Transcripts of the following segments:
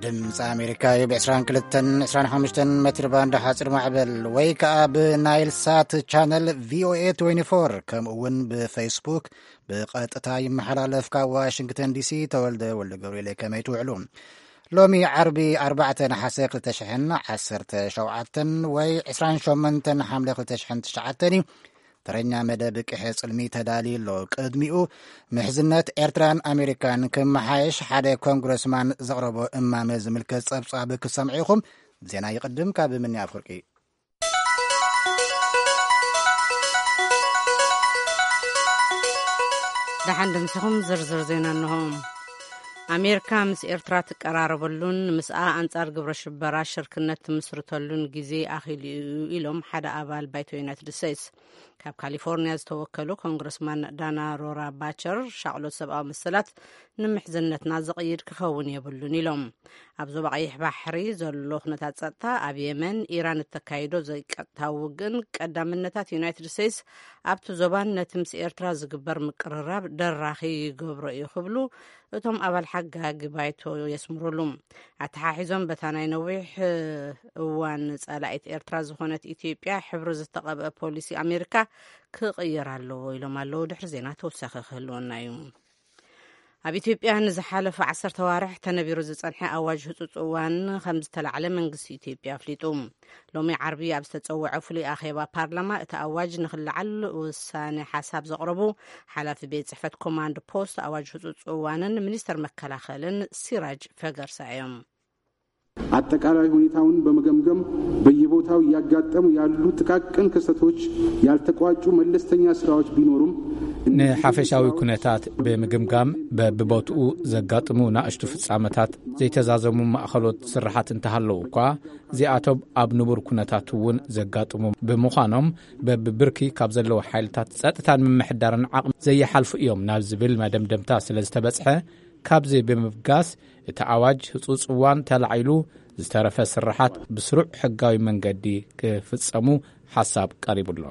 ድምፂ ኣሜሪካ እዩ። ብ22 25 ሜትር ባንድ ሓፂር ማዕበል ወይ ከዓ ብናይል ሳት ቻነል ቪኦኤ 24፣ ከምኡ እውን ብፌስቡክ ብቐጥታ ይመሓላለፍ። ካብ ዋሽንግተን ዲሲ ተወልደ ወልደ ገብርኤል። ከመይ ትውዕሉ? ሎሚ ዓርቢ 4 ነሓሰ 2017 ወይ 28 ሓምለ 2009 እዩ። ተረኛ መደብ ቅሐ ጽልሚ ተዳልዩ ኣሎ። ቅድሚኡ ምሕዝነት ኤርትራን ኣሜሪካን ክመሓየሽ ሓደ ኮንግረስማን ዘቕረቦ እማመ ዝምልከት ጸብጻብ ክሰምዑ ኢኹም። ዜና ይቕድም። ካብ ምኒ ኣፍርቂ። ደሓን ድምስኹም ዝርዝር ዜና እንሆ። ኣሜሪካ ምስ ኤርትራ ትቀራረበሉን ምስኣ ኣንጻር ግብረ ሽበራ ሽርክነት ትምስርተሉን ግዜ ኣኺሉ እዩ ኢሎም ሓደ ኣባል ባይቶ ዩናይትድ ስቴትስ። ካብ ካሊፎርኒያ ዝተወከሉ ኮንግረስማን ዳና ሮራ ባቸር ሻቕሎት ሰብኣዊ መሰላት ንምሕዝነትና ዝቕይድ ክኸውን የብሉን ኢሎም። ኣብ ዞባ ቀይሕ ባሕሪ ዘሎ ኩነታት ጸጥታ፣ ኣብ የመን ኢራን እተካይዶ ዘይቀጥታዊ ውግእን ቀዳምነታት ዩናይትድ ስቴትስ ኣብቲ ዞባን ነቲ ምስ ኤርትራ ዝግበር ምቅርራብ ደራኺ ይገብሮ እዩ ክብሉ እቶም ኣባል ሓጋጊ ባይቶ የስምሩሉ። ኣተሓሒዞም በታ ናይ ነዊሕ እዋን ጸላኢት ኤርትራ ዝኾነት ኢትዮጵያ ሕብሪ ዝተቐብአ ፖሊሲ ኣሜሪካ ክቕየር ኣለዎ ኢሎም ኣለዉ። ድሕሪ ዜና ተወሳኺ ክህልወና እዩ። ኣብ ኢትዮጵያ ንዝሓለፈ ዓሰርተ ዋርሕ ተነቢሩ ዝጸንሐ ኣዋጅ ህጹጽ እዋን ከም ዝተላዕለ መንግስቲ ኢትዮጵያ ኣፍሊጡ። ሎሚ ዓርቢ ኣብ ዝተጸውዐ ፍሉይ ኣኼባ ፓርላማ እቲ ኣዋጅ ንኽልዓል ውሳነ ሓሳብ ዘቕረቡ ሓላፊ ቤት ጽሕፈት ኮማንድ ፖስት ኣዋጅ ህጹጽ እዋንን ሚኒስተር መከላኸልን ሲራጅ ፈገርሳ እዮም። አጠቃላይ ሁኔታውን በመገምገም በየቦታው እያጋጠሙ ያሉ ጥቃቅን ክስተቶች፣ ያልተቋጩ መለስተኛ ስራዎች ቢኖሩም ንሓፈሻዊ ኩነታት ብምግምጋም በብቦትኡ ዘጋጥሙ ናእሽቱ ፍጻመታት፣ ዘይተዛዘሙ ማእኸሎት ስራሓት እንተሃለዉ እኳ፣ እዚኣቶም ኣብ ንቡር ኩነታት እውን ዘጋጥሙ ብምዃኖም፣ በብብርኪ ካብ ዘለዉ ሓይልታት ጸጥታን ምምሕዳርን ዓቕሚ ዘይሓልፉ እዮም ናብ ዝብል መደምደምታ ስለ ዝተበጽሐ፣ ካብዚ ብምብጋስ እቲ ኣዋጅ ህጹጽ እዋን ተላዒሉ ዝተረፈ ስራሓት ብስሩዕ ሕጋዊ መንገዲ ክፍጸሙ ሓሳብ ቀሪቡ ኣሎ።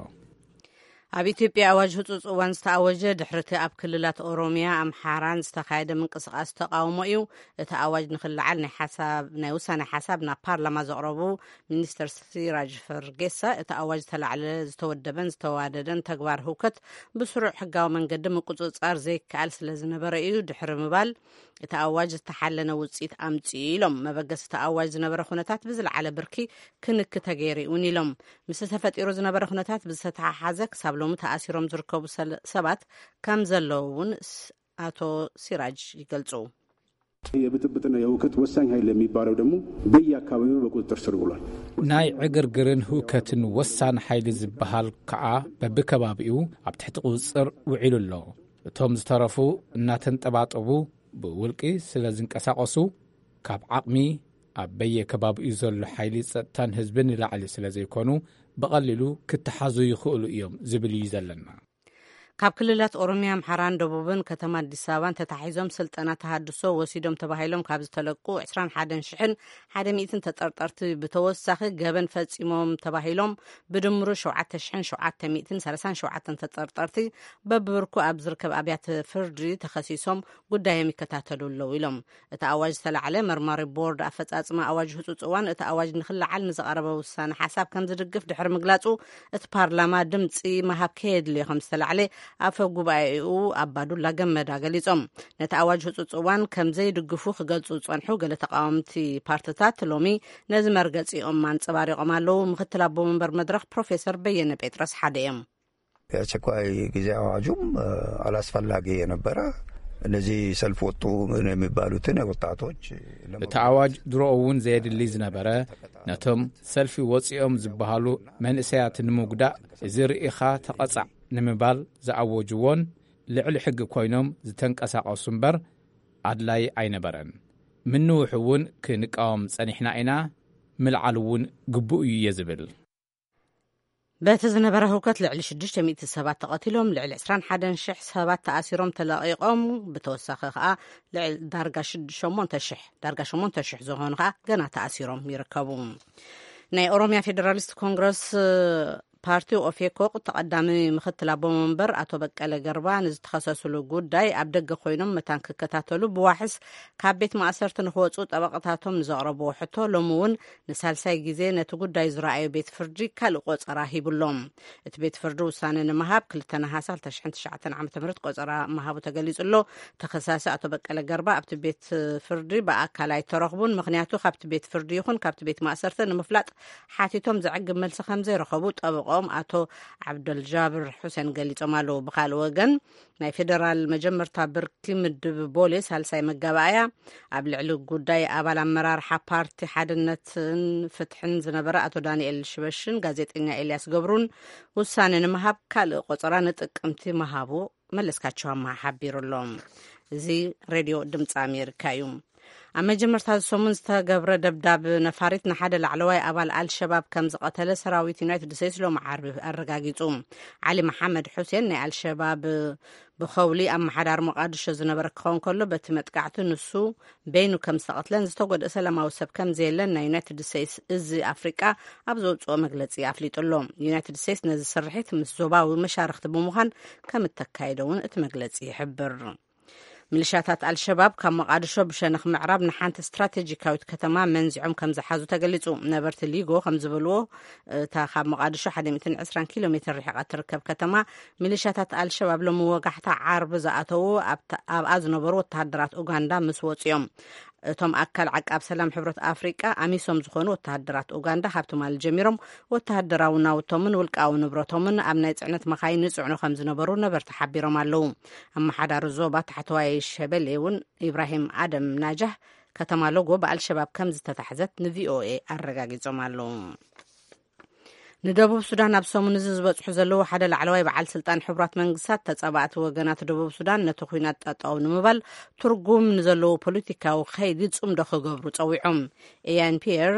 ኣብ ኢትዮጵያ ኣዋጅ ህጹጽ እዋን ዝተኣወጀ ድሕሪ እቲ ኣብ ክልላት ኦሮሚያ ኣምሓራን ዝተኻየደ ምንቅስቓስ ተቓውሞ እዩ። እቲ ኣዋጅ ንኽልዓል ናይ ሓሳብ ናይ ውሳኔ ሓሳብ ናብ ፓርላማ ዘቕረቡ ሚኒስተር ሲራጅ ፈርጌሳ፣ እቲ ኣዋጅ ዝተላዕለ ዝተወደበን ዝተዋደደን ተግባር ህውከት ብስሩዕ ሕጋዊ መንገዲ ምቁጽጻር ዘይከኣል ስለ ዝነበረ እዩ ድሕሪ ምባል፣ እቲ ኣዋጅ ዝተሓለነ ውጽኢት ኣምጺኡ ኢሎም። መበገሲ እቲ ኣዋጅ ዝነበረ ኩነታት ብዝለዓለ ብርኪ ክንክ ተገይሩ እውን ኢሎም። ምስቲ ተፈጢሩ ዝነበረ ኩነታት ብዝተተሓሓዘ ክሳብ ሎሚ ተኣሲሮም ዝርከቡ ሰባት ከም ዘለዉ እውን ኣቶ ሲራጅ ይገልጹ። የብጥብጥና የውከት ወሳኝ ኃይል የሚባለው ደግሞ በየአካባቢው በቁጥጥር ስር ውሏል። ናይ ዕግርግርን ህውከትን ወሳን ሓይሊ ዝበሃል ከዓ በብከባቢኡ ኣብ ትሕቲ ቁፅፅር ውዒሉ ኣሎ። እቶም ዝተረፉ እናተንጠባጠቡ ብውልቂ ስለ ዝንቀሳቐሱ፣ ካብ ዓቕሚ ኣብ በየከባቢኡ ዘሎ ሓይሊ ጸጥታን ህዝብን ንላዕሊ ስለ ዘይኮኑ፣ ብቐሊሉ ክተሓዙ ይኽእሉ እዮም ዝብል እዩ ዘለና። ካብ ክልላት ኦሮሚያ፣ ኣምሓራን ደቡብን ከተማ ኣዲስ ኣበባን ተታሒዞም ስልጠና ተሃድሶ ወሲዶም ተባሂሎም ካብ ዝተለቁ ዕስራን ሓደን ሽሕን ሓደ ሚእትን ተጠርጠርቲ ብተወሳኺ ገበን ፈጺሞም ተባሂሎም ብድምሩ ሸውዓተ ሽሕን ሸውዓተ ሚእትን ሰላሳን ሸውዓተን ተጠርጠርቲ በብብርኩ ኣብ ዝርከብ ኣብያተ ፍርዲ ተኸሲሶም ጉዳዮም ይከታተሉ ኣለዉ ኢሎም። እቲ ኣዋጅ ዝተላዕለ መርማሪ ቦርድ ኣፈጻጽማ ኣዋጅ ህጹጽ እዋን እቲ ኣዋጅ ንኽለዓል ንዝቐረበ ውሳነ ሓሳብ ከም ዝድግፍ ድሕሪ ምግላጹ፣ እቲ ፓርላማ ድምጺ ምሃብ ከየድልዮ ከም ዝተላዕለ ኣፈ ጉባኤኡ ኣባዱላ ገመዳ ገሊጾም። ነቲ ኣዋጅ ህጹጽ እዋን ከም ዘይድግፉ ክገልጹ ዝጸንሑ ገለ ተቃወምቲ ፓርትታት ሎሚ ነዚ መርገጺኦም ኣንጸባሪቖም ኣለዉ። ምክትል ኣቦ መንበር መድረኽ ፕሮፌሰር በየነ ጴጥሮስ ሓደ እዮም። የአስቸኳይ ጊዜ አዋጁም አላስፈላጊ የነበረ። እነዚህ ሰልፍ ወጡ የሚባሉትን ወጣቶች እቲ ኣዋጅ ድሮኡ እውን ዘየድሊ ዝነበረ፣ ነቶም ሰልፊ ወፂኦም ዝበሃሉ መንእሰያት ንምጉዳእ፣ እዚ ርኢኻ ተቐጻዕ ንምባል ዝኣወጅዎን ልዕሊ ሕጊ ኮይኖም ዝተንቀሳቐሱ እምበር ኣድላይ ኣይነበረን። ምንውሕ እውን ክንቃወም ጸኒሕና ኢና፣ ምልዓል እውን ግቡእ እዩ እየ ዝብል። በቲ ዝነበረ ህውከት ልዕሊ ሽዱሽተ ሚእቲ ሰባት ተቐቲሎም፣ ልዕሊ ዕስራን ሓደን ሽሕ ሰባት ተኣሲሮም ተለቒቖም፣ ብተወሳኺ ከኣ ልዕሊ ዳርጋ ሽድ-፣ ሸሞንተ ሽሕ፣ ዳርጋ ሸሞንተ ሽሕ ዝኾኑ ከኣ ገና ተኣሲሮም ይርከቡ። ናይ ኦሮሚያ ፌደራሊስት ኮንግረስ ፓርቲ ኦፌኮ ተቐዳሚ ምክትል ኣቦ መንበር ኣቶ በቀለ ገርባ ንዝተኸሰስሉ ጉዳይ ኣብ ደገ ኮይኖም መታን ክከታተሉ ብዋሕስ ካብ ቤት ማእሰርቲ ንክወፁ ጠበቕታቶም ንዘቕረብዎ ሕቶ ሎሚ እውን ንሳልሳይ ግዜ ነቲ ጉዳይ ዝረኣዩ ቤት ፍርዲ ካልእ ቆፀራ ሂቡሎም። እቲ ቤት ፍርዲ ውሳነ ንምሃብ ክልተ ነሓሰ ክልተ ሽሕን ትሽዓተን ዓመተ ምህረት ቆፀራ ምሃቡ ተገሊጹ ኣሎ። ተኸሳሲ ኣቶ በቀለ ገርባ ኣብቲ ቤት ፍርዲ ብኣካል ኣይተረኽቡን። ምኽንያቱ ካብቲ ቤት ፍርዲ ይኹን ካብቲ ቤት ማእሰርቲ ንምፍላጥ ሓቲቶም ዘዕግብ መልሲ ከም ዘይረኸቡ ጠበቆም ኣቶ ዓብደልጃብር ሑሴን ገሊጾም ኣለዉ። ብኻልእ ወገን ናይ ፌደራል መጀመርታ ብርኪ ምድብ ቦሌ ሳልሳይ መጋባእያ ኣብ ልዕሊ ጉዳይ ኣባል ኣመራርሓ ፓርቲ ሓድነትን ፍትሕን ዝነበረ ኣቶ ዳንኤል ሽበሽን ጋዜጠኛ ኤልያስ ገብሩን ውሳነ ንምሃብ ካልእ ቆጸራ ንጥቅምቲ ምሃቡ መለስካቸው ኣምሃ ሓቢሩ ኣሎ። እዚ ሬድዮ ድምፂ ኣሜሪካ እዩ። ኣብ መጀመርታ እዚ ሰሙን ዝተገብረ ደብዳብ ነፋሪት ንሓደ ላዕለዋይ ኣባል ኣልሸባብ ከም ዝቐተለ ሰራዊት ዩናይትድ ስቴትስ ሎሚ ዓርቢ ኣረጋጊጹ። ዓሊ መሓመድ ሑሴን ናይ ኣልሸባብ ብኸውሊ ኣመሓዳሪ ሞቃድሾ ዝነበረ ክኸውን ከሎ በቲ መጥቃዕቲ ንሱ በይኑ ከም ዝተቐትለን ዝተጎድአ ሰላማዊ ሰብ ከም ዘየለን ናይ ዩናይትድ ስቴትስ እዚ ኣፍሪቃ ኣብ ዘውፅኦ መግለፂ ኣፍሊጡ ኣሎ። ዩናይትድ ስቴትስ ነዚ ስርሒት ምስ ዞባዊ መሻርክቲ ብምዃን ከም እተካየደ እውን እቲ መግለፂ ይሕብር። ሚሊሻታት ኣልሸባብ ካብ መቓድሾ ብሸነኽ ምዕራብ ንሓንቲ ስትራቴጂካዊት ከተማ መንዚዖም ከም ዝሓዙ ተገሊጹ። ነበርቲ ሊጎ ከም ዝበልዎ፣ እታ ካብ መቓድሾ ሓደ ሚእትን ዕስራን ኪሎ ሜትር ርሒቓ ትርከብ ከተማ፣ ሚሊሻታት ኣልሸባብ ሎም ወጋሕታ ዓርቢ ዝኣተዉ ኣብታ- ኣብኣ ዝነበሩ ወተሃደራት ኡጋንዳ ምስ ወጹ እዮም። እቶም ኣካል ዓቃብ ሰላም ሕብረት ኣፍሪቃ ኣሚሶም ዝኾኑ ወተሃደራት ኡጋንዳ ካብ ትማሊ ጀሚሮም ወተሃደራዊ ናውቶምን ውልቃዊ ንብረቶምን ኣብ ናይ ጽዕነት መኻይን ይጽዕኑ ከም ዝነበሩ ነበርቲ ሓቢሮም ኣለዉ። ኣመሓዳሪ ዞባ ታሕተዋይ ሸበሌ እውን ኢብራሂም ኣደም ናጃህ ከተማ ሎጎ ብኣልሸባብ ከም ዝተታሕዘት ንቪኦኤ ኣረጋጊጾም ኣለዉ። ንደቡብ ሱዳን ኣብ ሰሙን እዚ ዝበጽሑ ዘለዉ ሓደ ላዕለዋይ በዓል ስልጣን ሕቡራት መንግስታት ተጻባእቲ ወገናት ደቡብ ሱዳን ነቲ ኲናት ጠጠው ንምባል ትርጉም ንዘለዎ ፖለቲካዊ ከይዲ ጽምዶ ክገብሩ ጸዊዖም። ኤያን ፒየር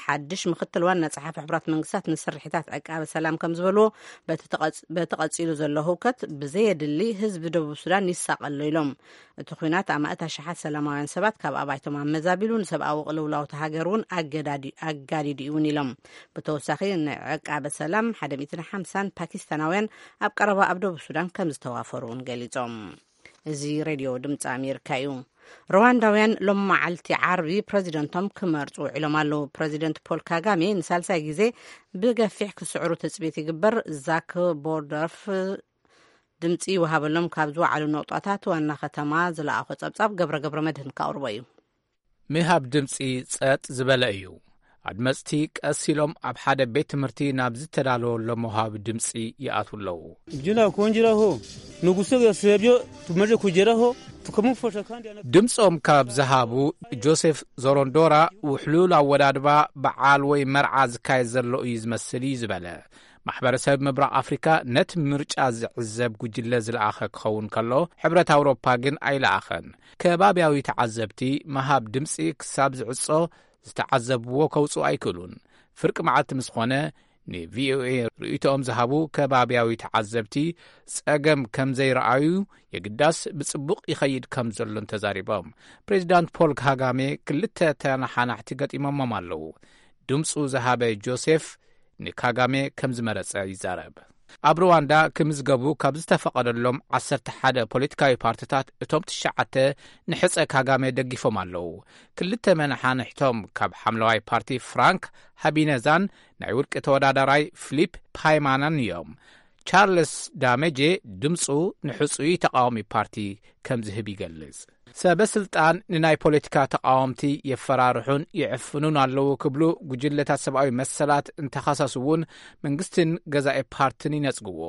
ሓድሽ ምክትል ዋና ጸሓፊ ሕቡራት መንግስታት ንስርሒታት ዕቃበ ሰላም ከም ዝበልዎ በቲ ተቐጽ- በቲ ቀጺሉ ዘሎ ህውከት ብዘየድሊ ህዝቢ ደቡብ ሱዳን ይሳቐሎ ኢሎም። እቲ ኲናት ኣማእት ኣሽሓት ሰላማውያን ሰባት ካብ ኣባይቶም ኣመዛቢሉ ንሰብኣዊ ቅልውላውቲ ሃገር እውን ኣገዳዲ- ኣጋዲዱ እውን ኢሎም። ብተወሳኺ ንዕቃበ ሰላም ሓደ ሚእትን ሓምሳን ፓኪስታናውያን ኣብ ቀረባ ኣብ ደቡብ ሱዳን ከም ዝተዋፈሩ እውን ገሊጾም። እዚ ሬድዮ ድምፂ ኣሜሪካ እዩ። ሩዋንዳውያን ሎም መዓልቲ ዓርቢ ፕረዚደንቶም ክመርፁ ውዒሎም ኣለዉ። ፕረዚደንት ፖል ካጋሜ ንሳልሳይ ግዜ ብገፊሕ ክስዕሩ ትፅቢት ይግበር። ዛክ ቦርደርፍ ድምፂ ይወሃበሎም ካብ ዝወዓሉ ነቑጣታት ዋና ከተማ ዝለኣኾ ፀብፃብ ገብረ ገብረ መድህን ካቕርቦ እዩ። ምሃብ ድምፂ ጸጥ ዝበለ እዩ። ኣድመፅቲ ቀስ ኢሎም ኣብ ሓደ ቤት ትምህርቲ ናብ ዝተዳለወሎም መውሃቢ ድምፂ ይኣትዉ ኣለዉ። Jina kunjiraho nugusoga sebyo tumaze kugeraho tukamufasha kandi ana- ድምፆም ካብ ዝሃቡ ጆሴፍ ዞሮንዶራ ውሕሉል ኣወዳድባ በዓል ወይ መርዓ ዝካየድ ዘሎ እዩ ዝመስል እዩ ዝበለ። ማሕበረሰብ ምብራቕ ኣፍሪካ ነቲ ምርጫ ዝዕዘብ ጉጅለ ዝለኣኸ ክኸውን ከሎ፣ ሕብረት ኣውሮፓ ግን ኣይለኣኸን። ከባብያዊ ተዓዘብቲ ምሃብ ድምፂ ክሳብ ዝዕጾ ዝተዓዘብዎ ከውፅኡ ኣይክእሉን። ፍርቂ መዓልቲ ምስ ኾነ ንቪኦኤ ርእይቶኦም ዝሃቡ ከባብያዊ ተዓዘብቲ ጸገም ከም ዘይረኣዩ፣ የግዳስ ብጽቡቕ ይኸይድ ከም ዘሎን ተዛሪቦም። ፕሬዚዳንት ፖል ካጋሜ ክልተ ተነሓናሕቲ ገጢሞሞም ኣለዉ። ድምፁ ዝሃበ ጆሴፍ ንካጋሜ ከም ዝመረጸ ይዛረብ። ኣብ ሩዋንዳ ክምዝገቡ ካብ ዝተፈቐደሎም ዓሰርተ ሓደ ፖለቲካዊ ፓርቲታት እቶም ትሽዓተ ንሕጸ ካጋሜ ደጊፎም ኣለዉ። ክልተ መነሓንሕቶም ካብ ሓምለዋይ ፓርቲ ፍራንክ ሃቢነዛን ናይ ውልቂ ተወዳዳራይ ፊሊፕ ፓይማናን እዮም። ቻርልስ ዳሜጄ ድምፁ ንሕጹይ ተቃዋሚ ፓርቲ ከም ዝህብ ይገልጽ። ሰበ ስልጣን ንናይ ፖለቲካ ተቃወምቲ የፈራርሑን ይዕፍኑን ኣለዉ ክብሉ ጉጅለታት ሰብኣዊ መሰላት እንተኸሰሱ እውን መንግስትን ገዛኢ ፓርትን ይነጽግዎ።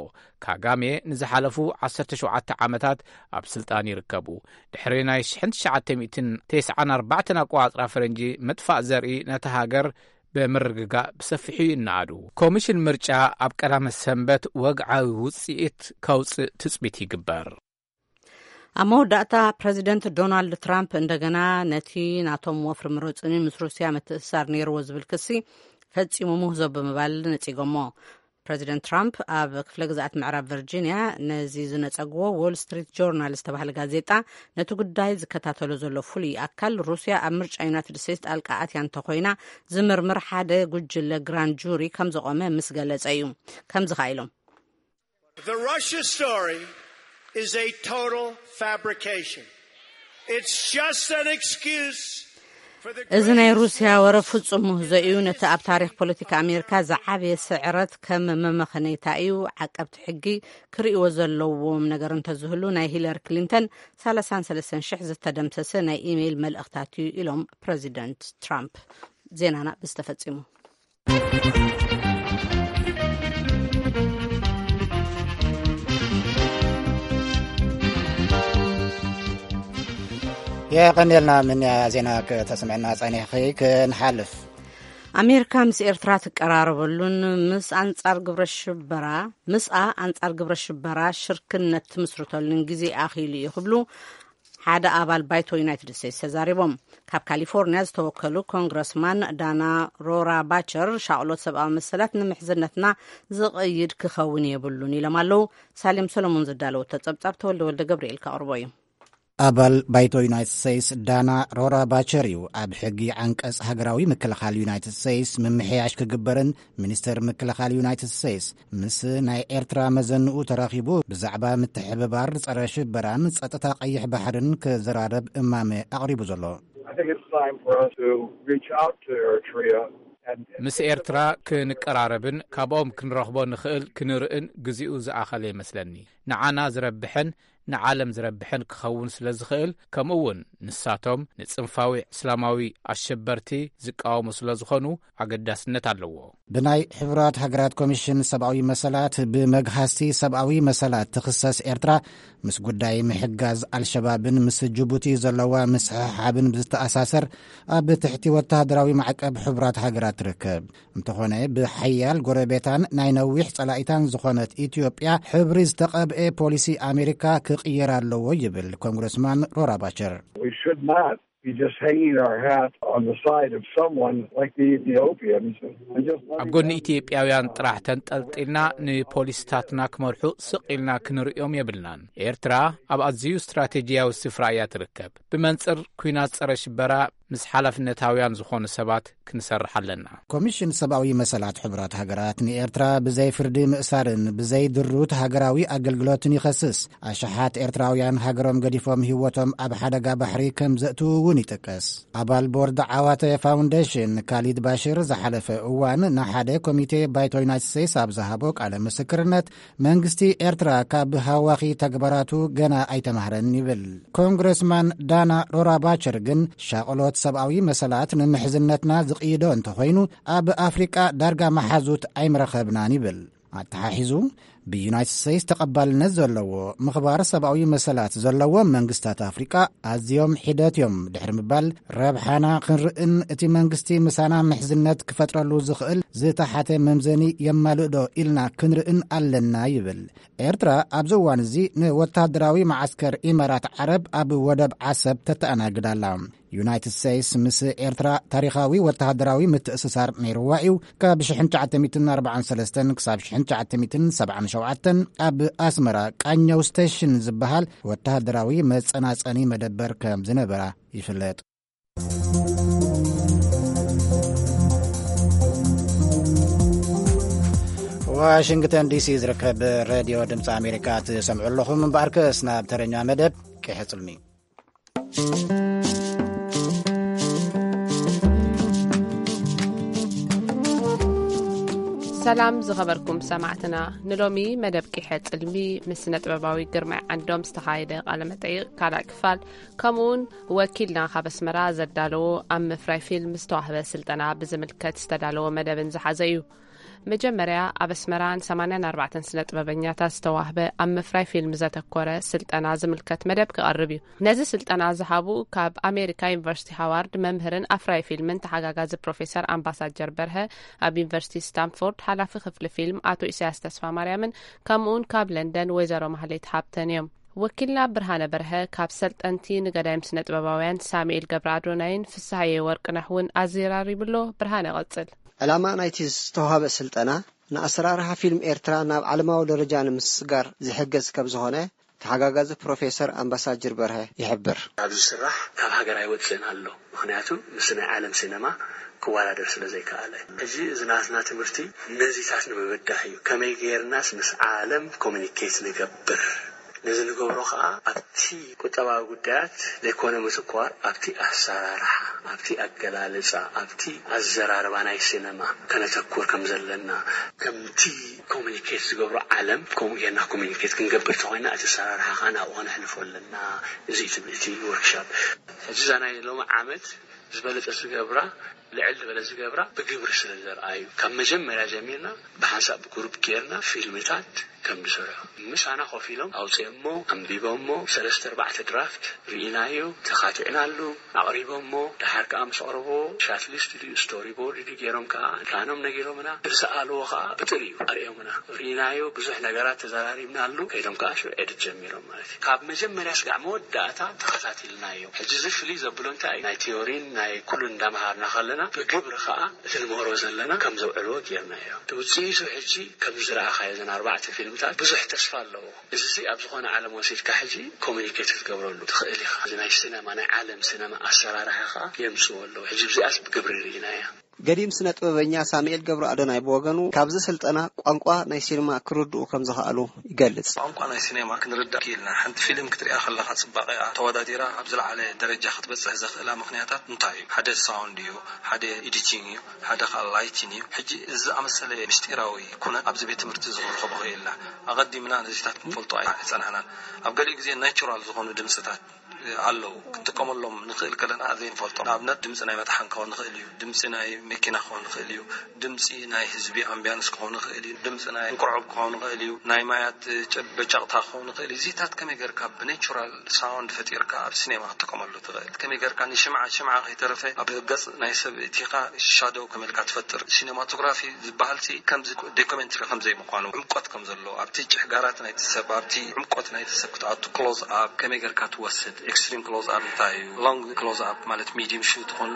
ካጋሜ ንዝሓለፉ ዓሰርተ ሸውዓተ ዓመታት ኣብ ስልጣን ይርከቡ። ድሕሪ ናይ ሽሕን ትሽዓተ ሚእትን ተስዓን ኣርባዕተን ኣቆጻጽራ ፈረንጂ ምጥፋእ ዘርኢ ነታ ሃገር ብምርግጋእ ብሰፊሑ ይነኣዱ። ኮሚሽን ምርጫ ኣብ ቀዳመ ሰንበት ወግዓዊ ውጽኢት ከውጽእ ትጽቢት ይግበር። ኣብ መወዳእታ ፕረዚደንት ዶናልድ ትራምፕ እንደገና ነቲ ናቶም ወፍሪ ምሩጽኒ ምስ ሩስያ ምትእስሳር ነይርዎ ዝብል ክሲ ፈጺሙ ምህዞ ብምባል ነጺጎሞ። ፕረዚደንት ትራምፕ ኣብ ክፍለ ግዝኣት ምዕራብ ቨርጂንያ ነዚ ዝነጸግዎ ዎል ስትሪት ጆርናል ዝተባህለ ጋዜጣ፣ ነቲ ጉዳይ ዝከታተሎ ዘሎ ፍሉይ ኣካል፣ ሩስያ ኣብ ምርጫ ዩናይትድ ስቴትስ ጣልቃ ኣትያ እንተኾይና ዝምርምር ሓደ ጉጅለ ግራንድ ጁሪ ከም ዘቖመ ምስ ገለጸ እዩ። ከምዚ ኸኣ ኢሎም። The Russia story is a total fabrication. It's just an excuse for the እዚ ናይ greatest ሩስያ ወረ ፍጹም ምህዞ እዩ። ነቲ ኣብ ታሪኽ ፖለቲካ ኣሜሪካ ዝዓበየ ስዕረት ከም መመኸነይታ እዩ። ዓቀብቲ ሕጊ ክርእይዎ ዘለዎም ነገር እንተዝህሉ፣ ናይ ሂለሪ ክሊንተን ሰላሳን ሰለስተን ሽሕ ዝተደምሰሰ ናይ ኢሜይል መልእኽታት እዩ፣ ኢሎም ፕረዚደንት ትራምፕ። ዜናና ብዝተፈጺሙ። የቐንየልና። ምን ዜና ከተስምዕና ጸኒሕኺ? ክንሓልፍ። ኣሜሪካ ምስ ኤርትራ ትቀራረበሉን ምስ ኣንጻር ግብረ ሽበራ፣ ምስኣ ኣንጻር ግብረ ሽበራ ሽርክነት ትምስርተሉን ግዜ ኣኺሉ እዩ ክብሉ ሓደ ኣባል ባይቶ ዩናይትድ ስቴትስ ተዛሪቦም። ካብ ካሊፎርኒያ ዝተወከሉ ኮንግረስማን ዳና ሮራ ባቸር፣ ሻቕሎት ሰብኣዊ መሰላት ንምሕዝነትና ዝቕይድ ክኸውን የብሉን ኢሎም ኣለዉ። ሳሌም ሰሎሞን ዘዳለወቶ ጸብጻብ፣ ተወልደ ወልደ ገብርኤል ከቕርቦ እዩ። ኣባል ባይቶ ዩናይትድ ስቴትስ ዳና ሮራ ባቸር እዩ ኣብ ሕጊ ዓንቀጽ ሃገራዊ ምክልኻል ዩናይትድ ስቴትስ ምምሕያሽ ክግበርን ሚኒስተር ምክልኻል ዩናይትድ ስቴትስ ምስ ናይ ኤርትራ መዘንኡ ተራኺቡ ብዛዕባ ምትሕብባር ጸረ ሽበራን ጸጥታ ቀይሕ ባሕርን ክዘራረብ እማመ ኣቕሪቡ ዘሎ። I think it's time for us to reach out to Eritrea and ምስ ኤርትራ ክንቀራረብን ካብኦም ክንረኽቦ ንኽእል ክንርእን ግዜኡ ዝኣኸለ ይመስለኒ። ንዓና ዝረብሐን ንዓለም ዝረብሐን ክኸውን ስለ ዝኽእል፣ ከምኡ እውን ንሳቶም ንጽንፋዊ እስላማዊ ኣሸበርቲ ዝቃወሙ ስለ ዝኾኑ ኣገዳስነት ኣለዎ። ብናይ ሕቡራት ሃገራት ኮሚሽን ሰብኣዊ መሰላት ብመግሃስቲ ሰብኣዊ መሰላት ትኽሰስ ኤርትራ፣ ምስ ጉዳይ ምሕጋዝ ኣልሸባብን ምስ ጅቡቲ ዘለዋ ምስሕሓብን ብዝተኣሳሰር፣ ኣብ ትሕቲ ወተሃደራዊ ማዕቀብ ሕቡራት ሃገራት ትርከብ። እንተኾነ፣ ብሓያል ጎረቤታን ናይ ነዊሕ ጸላኢታን ዝኾነት ኢትዮጵያ ሕብሪ ዝተቐብኤ ፖሊሲ ኣሜሪካ ክቕየር ኣለዎ ይብል ኮንግረስማን ሮራ ባቸር። We should not be just hanging our hat on the side of someone like the Ethiopians and just letting ኣብ ጎኒ them ኢትዮጵያውያን ጥራሕ ተንጠልጢልና ንፖሊስታትና ክመርሑ ስቕ ኢልና ክንርእዮም የብልናን። ኤርትራ ኣብ ኣዝዩ ስትራቴጂያዊ ስፍራ እያ ትርከብ። ብመንጽር ኲናት ጸረ ሽበራ ምስ ሓላፍነታውያን ዝኾኑ ሰባት ክንሰርሕ ኣለና። ኮሚሽን ሰብኣዊ መሰላት ሕቡራት ሃገራት ንኤርትራ ብዘይ ፍርዲ ምእሳርን ብዘይ ድሩት ሃገራዊ ኣገልግሎትን ይኸስስ። ኣሽሓት ኤርትራውያን ሃገሮም ገዲፎም ህይወቶም ኣብ ሓደጋ ባሕሪ ከም ዘእትዉ እውን ይጥቀስ። ኣባል ቦርድ ዓዋተ ፋውንዴሽን ካሊድ ባሽር ዝሓለፈ እዋን ንሓደ ኮሚቴ ባይቶ ዩናይትድ ስቴትስ ኣብ ዝሃቦ ቃለ ምስክርነት፣ መንግስቲ ኤርትራ ካብ ሃዋኺ ተግባራቱ ገና ኣይተማህረን ይብል። ኮንግረስማን ዳና ሮራ ባቸር ግን ሻቕሎት ሰብኣዊ መሰላት ንምሕዝነትና ዝቕይዶ እንተኾይኑ፣ ኣብ ኣፍሪቃ ዳርጋ መሓዙት ኣይምረኸብናን ይብል። ኣተሓሒዙ፣ ብዩናይትድ ስቴትስ ተቐባልነት ዘለዎ ምኽባር ሰብኣዊ መሰላት ዘለዎም መንግስታት ኣፍሪቃ ኣዝዮም ሒደት እዮም ድሕሪ ምባል፣ ረብሓና ክንርእን እቲ መንግስቲ ምሳና ምሕዝነት ክፈጥረሉ ዝኽእል ዝተሓተ መምዘኒ የማልእ ዶ ኢልና ክንርእን ኣለና ይብል። ኤርትራ ኣብዚ እዋን እዚ ንወተሃደራዊ መዓስከር ኢማራት ዓረብ ኣብ ወደብ ዓሰብ ተተኣናግድ ኣላ። ዩናይትድ ስቴትስ ምስ ኤርትራ ታሪኻዊ ወተሃደራዊ ምትእስሳር ነይርዋ እዩ። ካብ ሽሕን ትሽዓተ ሚእትን ኣርባዓን ሰለስተን ክሳብ ሽሕን ትሽዓተ ሚእትን ሰብዓን ሸውዓተን ኣብ ኣስመራ ቃኘው ስቴሽን ዝበሃል ወተሃደራዊ መጸናጸኒ መደበር ከም ዝነበራ ይፍለጥ። ዋሽንግተን ዲሲ ዝርከብ ሬድዮ ድምፂ ኣሜሪካ ትሰምዑ ኣለኹም። እምበኣርከስ ናብ ተረኛ መደብ ቂሐ ጽልሚ። ሰላም ዝኸበርኩም ሰማዕትና፣ ንሎሚ መደብ ቂሐ ጽልሚ ምስ ስነ ጥበባዊ ግርማይ ዓንዶም ዝተኻየደ ቃለ መጠይቕ ካልኣይ ክፋል፣ ከምኡውን ወኪልና ካብ ኣስመራ ዘዳለዎ ኣብ ምፍራይ ፊልም ዝተዋህበ ስልጠና ብዝምልከት ዝተዳለወ መደብን ዝሓዘ እዩ። መጀመርያ ኣብ ኣስመራ ንሰማንያን ኣርባዕተን ስነ ጥበበኛታት ዝተዋህበ ኣብ ምፍራይ ፊልም ዘተኮረ ስልጠና ዝምልከት መደብ ክቐርብ እዩ። ነዚ ስልጠና ዝሃቡ ካብ ኣሜሪካ ዩኒቨርሲቲ ሃዋርድ መምህርን ኣፍራይ ፊልምን ተሓጋጋዚ ፕሮፌሰር ኣምባሳጀር በርሀ፣ ኣብ ዩኒቨርሲቲ ስታንፎርድ ሓላፊ ክፍሊ ፊልም ኣቶ ኢሳያስ ተስፋ ማርያምን፣ ከምኡውን ካብ ለንደን ወይዘሮ ማህሌት ሃብተን እዮም። ወኪልና ብርሃነ በርሀ ካብ ሰልጠንቲ ንገዳይም ስነ ጥበባውያን ሳሙኤል ገብረ ኣዶናይን ፍስሃየ ወርቅነህ እውን ኣዘራሪብሎ። ብርሃነ፣ ቀጽል። ዕላማ ናይቲ ዝተዋህበ ስልጠና ንኣሰራርሓ ፊልም ኤርትራ ናብ ዓለማዊ ደረጃ ንምስግጋር ዝሕግዝ ከም ዝኾነ ተሓጋጋዚ ፕሮፌሰር ኣምባሳጅር በርሀ ይሕብር። ኣብ ዝስራሕ ካብ ሃገር ኣይወፅእን ኣሎ። ምኽንያቱ ምስ ናይ ዓለም ሲነማ ክወዳደር ስለ ዘይከኣለ። ሕጂ እዚ ናትና ትምህርቲ ነዚታት ንምብዳህ እዩ። ከመይ ገይርናስ ምስ ዓለም ኮሚኒኬት ንገብር? ነዚ ንገብሮ ከኣ ኣብቲ ቁጠባዊ ጉዳያት ዘይኮነ ምትኳር ኣብቲ ኣሰራርሓ፣ ኣብቲ ኣገላልጻ፣ ኣብቲ ኣዘራርባ ናይ ሲነማ ከነተኩር ከም ዘለና፣ ከምቲ ኮሚኒኬት ዝገብሮ ዓለም ከምኡ ጌርና ኮሚኒኬት ክንገብር ተኾይና እቲ ኣሰራርሓ ከኣ ናብኡ ከነሕልፎ ኣለና። እዚ እዩ ትምህርቲ ወርክሾፕ። ሕጂ እዛ ናይ ሎሚ ዓመት ዝበለጸ ዝገብራ፣ ልዕል ዝበለ ዝገብራ ብግብሪ ስለ ዘርኣዩ፣ ካብ መጀመርያ ጀሚርና ብሓንሳብ ብግሩፕ ጌርና ፊልምታት ከም ዝሰርሑ ምሳና ኮፍ ኢሎም ኣውፅኦሞ፣ ኣንቢቦሞ፣ ሰለስተ ኣርባዕተ ድራፍት ርኢናዮ፣ ተኻቲዕናሉ፣ ኣቕሪቦሞ፣ ደሓር ከዓ ምስ ኣቕረቦ ሻትሊስት ድዩ ስቶሪ ቦርድ ድዩ ገይሮም ከዓ ፕላኖም ነጊሮምና፣ ዝሰኣልዎ ከዓ ብጥሪኡ ኣርእዮምና። ርኢናዮ፣ ብዙሕ ነገራት ተዘራሪብናሉ፣ ከይዶም ከዓ ሽዑ ኤዲት ጀሚሮም ማለት እዩ። ካብ መጀመርያ ስጋዕ መወዳእታ ተኸታቲልናዮ። ሕጂ እዚ ፍልይ ዘብሎ እንታይ እዩ? ናይ ቲዮሪን ናይ ኩሉን እንዳምሃርና ከለና ብግብሪ ከዓ እቲ ንምህሮ ዘለና ከም ዘውዕልዎ ጌርናዮ። እቲ ውፅኢቱ ሕጂ ከም ዝረኣኻዮ እዘን ኣርባዕተ ፊልምታት ብዙሕ ተስፋ ኣለዎ። እዚ ኣብ ዝኾነ ዓለም ወሲድካ ሕጂ ኮሚኒኬት ክትገብረሉ ትኽእል ኢኻ። እዚ ናይ ሲነማ፣ ናይ ዓለም ሲነማ ኣሰራርሓ ከዓ የምፅዎ ኣለዉ። ሕጂ ብዚኣስ ብግብሪ ርኢናያ። ገዲም ስነ ጥበበኛ ሳሙኤል ገብረ ኣዶናይ ብወገኑ ካብዚ ስልጠና ቋንቋ ናይ ሲኒማ ክርድኡ ከም ዝኸኣሉ ይገልጽ። ቋንቋ ናይ ሲኔማ ክንርዳእ ክኢልና። ሓንቲ ፊልም ክትሪኣ ከለኻ ጽባቐኣ ተወዳዲራ ኣብ ዝለዓለ ደረጃ ክትበጽሕ ዘኽእላ ምኽንያታት እንታይ እዩ? ሓደ ሳውንድ እዩ፣ ሓደ ኤዲቲንግ እዩ፣ ሓደ ኻል ላይቲን እዩ። ሕጂ እዚ ዝኣመሰለ ምስጢራዊ ኩነት ኣብዚ ቤት ትምህርቲ እዚ ክንረኽቦ ክኢልና። ኣቐዲምና ነዚታት ክንፈልጦ ኣይጸናሕናን። ኣብ ገሊኡ ግዜ ናቹራል ዝኾኑ ድምጽታት ኣለዉ። ክንጥቀመሎም ንኽእል ከለና ዘይንፈልጦ። ንኣብነት ድምጺ ናይ መጥሓን ክኸውን ንኽእል እዩ፣ ድምጺ ናይ መኪና ክኸውን ንኽእል እዩ፣ ድምጺ ናይ ህዝቢ ኣምቢያንስ ክኸውን ንኽእል እዩ፣ ድምጺ ናይ እንቁዕብ ክኸውን ንኽእል እዩ፣ ናይ ማያት ጨ-፣ በጫቕታ ክኸውን ንኽእል እዩ። እዚታት ከመይ ጌርካ ብኔቹራል ሳውንድ ፈጢርካ ኣብ ሲኔማ ክትጥቀመሉ ትኽእል? ከመይ ጌርካ ንሽምዓ፣ ሽምዓ ከይተረፈ ኣብ ገጽ ናይ ሰብ እቲኻ ሻዶው ከመይ ኢልካ ትፈጥር? ሲኔማቶግራፊ ዝበሃልሲ ከምዚ ዶኩሜንተሪ ከም ዘይምዃኑ፣ ዕምቆት ከም ዘለዎ፣ ኣብቲ ጭሕጋራት ናይቲ ሰብ፣ ኣብቲ ዕምቆት ናይቲ ሰብ ክትኣቱ፣ ክሎዝ ኣፕ ከመይ ጌርካ ትወስድ፣ ኤክስትሪም ክሎዝ ኣፕ እንታይ እዩ፣ ሎንግ ክሎዝ ኣፕ ማለት ሚድዩም ሹት ኹን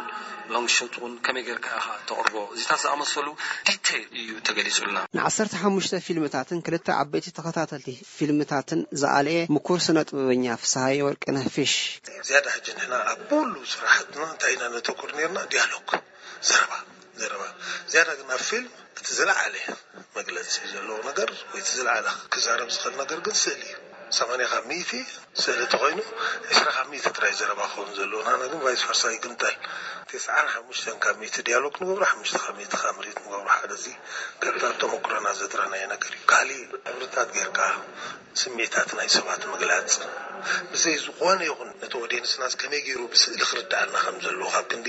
ሎንግ ሹት ኹን ከመይ ጌርካ ኢኻ ተቕርቦ፣ እዚታት ዝኣመሰሉ ዲቴይል እዩ ተገሊጹልና። ንዓሰርተ ሓሙሽተ ፊልምታትን ክልተ ዓበይቲ ተኸታተልቲ ፊልምታትን ዝኣለየ ምኩር ስነ ጥበበኛ ፍስሃየ ወርቅነህ ፊሽ። ዝያዳ ሕጂ ንሕና ኣብ ኩሉ ስራሕትና እንታይ ኢና ነተኩር ነርና? ዲያሎግ፣ ዘረባ፣ ዘረባ። ዝያዳ ግን ኣብ ፊልም እቲ ዝለዓለ መግለጺ ዘለዎ ነገር ወይ እቲ ዝለዓለ ክዛረብ ዝኽእል ነገር ግን ስእሊ እዩ። ሰማንያ ካብ ሚእቲ ስእሊ ተኾይኑ፣ ዕስራ ካብ ሚእቲ ጥራይ ዘረባ ክኸውን ዘለዎ። ንሕና ግን ቫይስ ቨርሳ ይግንጠል። ተስዓን ሓሙሽተን ካብ ሚእቲ ዲያሎግ ንገብሮ፣ ሓሙሽተ ካብ ሚእቲ ካብ ምርኢት ንገብሮ። ሓደ እዚ ካብታ ተመኩሮና ዘጥረናዮ ነገር እዩ። ካሊእ ሕብርታት ጌርካ ስምዒታት ናይ ሰባት ምግላጽ፣ ብዘይ ዝኾነ ይኹን ነቲ ኦድየንስና ከመይ ገይሩ ብስእሊ ክርድኣና ከም ዘለዎ፣ ካብ ክንዲ